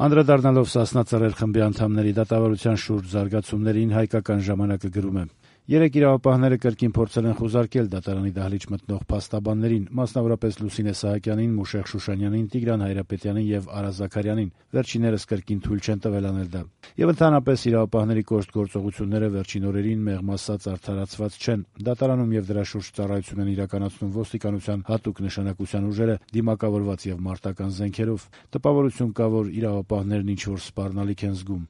Անդրադառնալով Սասնա Ծռեր խմբի անդամների դատավարության շուրջ զարգացումներին, «Հայկական ժամանակ»-ը գրում է. «Երեկ իրավապահները կրկին փորձել են խուզարկել դատարանի դահլիճ մտնող փաստաբաններին, մասնավորապես Լուսինե Սահակյանին, Մուշեղ Շուշանյանին, Տիգրան Հայրապետյանին եւ Արա Զաքարյանին: Վերջիններս կրկին թույլ չեն տվել անել դա: Եվ ընդհանրապես իրավապահների կոշտ գործողությունները վերջին օրերին, մեղմ ասած, արդարացված չեն: Դատարանում եւ դրա շուրջ ծառայություն են իրականացնում ոստիկանության հատուկ նշանակության ուժերը, դիմակավորված եւ մարտական զենքերով: Տպավորություն կա, որ իրավապահներն ինչ-որ սպառնալիք են զգում»: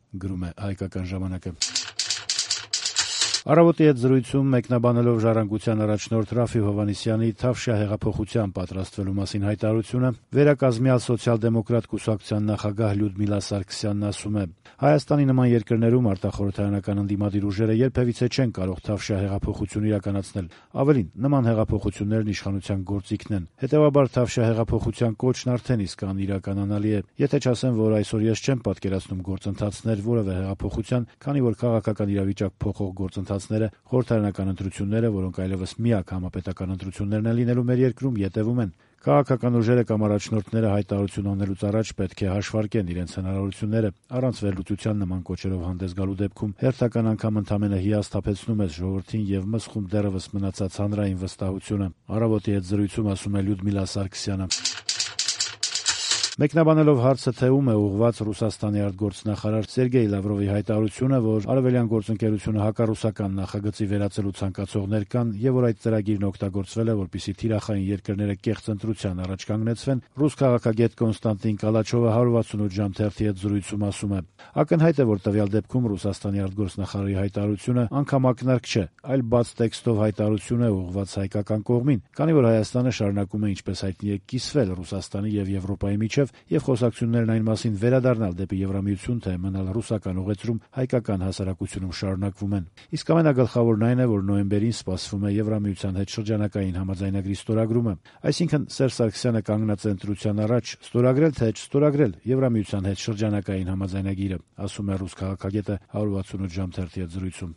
«Առավոտ»-ի հետ զրույցում մեկնաբանելով «Ժառանգության» առաջնորդ Րաֆֆի Հովհաննիսյանի Թավշյա հեղափոխության պատրաստվելու մասին հայտարարությունը, վերակազմյալ սոցիալ-դեմոկրատ կուսակցության նախագահ Լյուդմիլա Սարգսյանն ասում է. «Հայաստանի նման երկրներում արտախորհրդարանական ընդդիմադիր ուժերը երբևիցե չեն կարող Թավշյա հեղափոխություն իրականացնել: Ավելին, նման հեղափոխություններն իշխանության գործիքն են: Հետեւաբար Թավշյա հեղափոխության կոչն արդեն իսկ անիրականանալի է: Եթե չասեմ, որ այսօր ես չեմ պատկերացնում գործընթացներ որեւէ հեղափոխության, քանի որ քաղաքական իրավիճակ փոխող գործընթացները, խորհրդարանական ընտրությունները, որոնք այլեւս միակ համապետական ընտրություններն են լինելու մեր երկրում, ետեւում են: Քաղաքական ուժերը կամ առաջնորդները հայտարարություն անելուց առաջ պետք է հաշվարկեն իրենց հնարավորությունները: Առանց վերլուծության նման կոչերով հանդես գալու դեպքում հերթական անգամ ընդամենը հիասթափեցնում ես ժողովրդին եւ մսխում դեռեւս մնացած հանրային վստահությունը»: «Առավոտ»-ի հետ զրույցում ասում է Լյուդմիլա Սարգսյանը: Մեկնաբանելով հարցը, թե ում է ուղղված Ռուսաստանի արտգործնախարար Սերգեյ Լավրովի հայտարարությունը, որ Արևելյան գործընկերությունը հակառուսական նախագծի վերածելու ցանկացողներ կան եւ որ այդ ծրագիրն օգտագործվել է, որպեսզի թիրախային երկրները կեղծ ընտրության առաջ կանգնեցվեն, ռուս քաղաքագետ Կոնստանտին Կալաչովը 168 ժամ թերթի հետ զրույցում ասում է. «Ակնհայտ է, որ տվյալ դեպքում Ռուսաստանի արտգործնախարարի հայտարարությունը անգամ ակնարկ չէ, այլ բաց տեքստով հայտարարություն է ուղղված հայկական կողմին, քանի որ Հայաստանը շարունակում է, ինչպես հայտնի է, կիսվել Ռուսաստանի եւ Եվրոպայի միջեւ, եւ խոսակցություններն այն մասին վերադառնալ դեպի Եվրամիություն, թե մնալ ռուսական ուղեծրում հայկական հասարակությունում շարունակվում են: Իսկ ամենագլխավորն այն է, որ նոյեմբերին սպասվում է Եվրամիության հետ շրջանակային համաձայնագրի ստորագրումը: Այսինքն Սերժ Սարգսյանը կանգնած է ընտրության առաջ՝ ստորագրել թե չստորագրել Եվրամիության հետ շրջանակային համաձայնագիրը», ասում է ռուս քաղաքագետը 168 ժամ թերթի հետ զրույցում: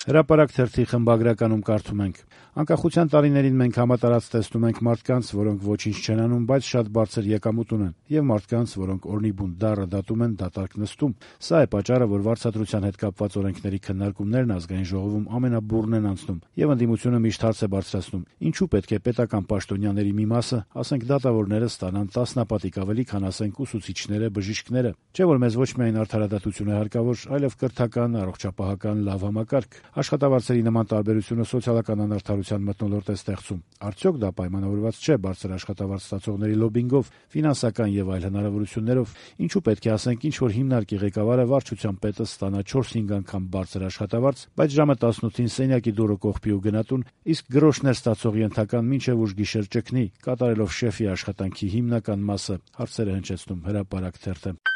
«Հրապարակ» թերթի խմբագրականում կարդում ենք. «Անկախության տարիներին մենք համատարած տեսնում ենք մարդկանց, որոնք ոչինչ չեն անում, բայց շատ բարձր եկամուտ ունեն, եւ մարդկանց, որոնք օրնիբուն դառը դատում են, դատարկ նստում: Սա է պատճառը, որ վարձատրության հետ կապված օրենքների քննարկումներն Ազգային ժողովում ամենաբուռն են անցնում, եւ ընդդիմությունը միշտ հարց է բարձրացնում. ինչու պետք է պետական պաշտոնյաների մի մասը, ասենք դատավորները, ստանան տասնապատիկ ավելի, քան ասենք ուսուցիչները, բժիշկները: Չէ՞ որ մեզ ոչ միայն արդարադատություն է հարկավոր, այլև կրթական, առողջապահական լավ համակարգ: Աշխատավարձերի նման տարբերությունը սոցիալական անարդարության մթնոլորտ է ստեղծում: Արդյոք դա պայմանավորված չէ բարձր աշխատավարձ ստացողների լոբբինգով, ֆինանսական եւ այլ հնարավորություններով: Ինչու պետք է ասենք ինչ-որ հիմնարկի ղեկավարը, վարչության պետը ստանա 4-5 անգամ բարձր աշխատավարձ, բայց ժամը 18-ին սենյակի դուռը կողպի ու գնա տուն, իսկ գրոշներ ստացող ենթական մինչեւ ուշ գիշեր ճգնի, կատարելով շեֆի աշխատանքի հիմնական մասը»: Հարցեր է հնչեցնում «Հրապարակ» թերթը: